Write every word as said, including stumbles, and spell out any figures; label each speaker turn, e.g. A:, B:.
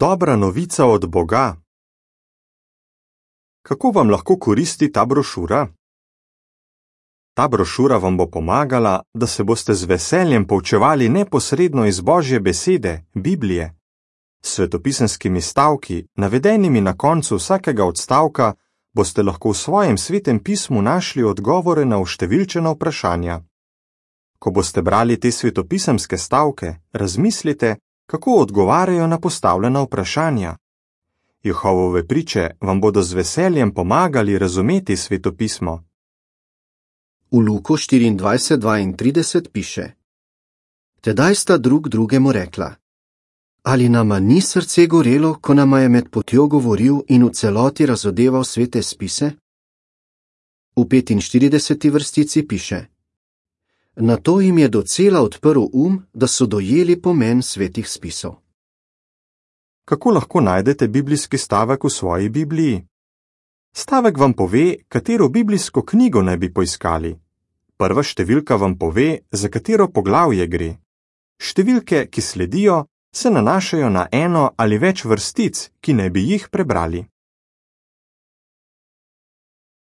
A: Dobra novica od Boga. Kako vam lahko koristi ta brošura? Ta brošura vam bo pomagala, da se boste z veseljem poučevali neposredno iz Božje besede, Biblije. S svetopisemskimi stavki, navedenimi na koncu vsakega odstavka, boste lahko v svojem svetem pismu našli odgovore na vštevilčena vprašanja. Ko boste brali te svetopisemske stavke, razmislite, kako odgovarjajo na postavljena vprašanja. Jehovove priče vam bodo z veseljem pomagali razumeti svetopismo.
B: V Luku štiriindvajset dvaintrideset piše: Tedaj sta drug drugemu rekla: Ali nama ni srce gorelo, ko nama je med potjo govoril in v celoti razodeval svete spise? V petinštirideseti vrstici piše: Nato jim je docela odprl um, da so dojeli pomen svetih spisov.
A: Kako lahko najdete biblijski stavek v svoji Bibliji? Stavek vam pove, katero biblijsko knjigo naj bi poiskali. Prva številka vam pove, za katero poglavje gre. Številke, ki sledijo, se nanašajo na eno ali več vrstic, ki naj bi jih prebrali.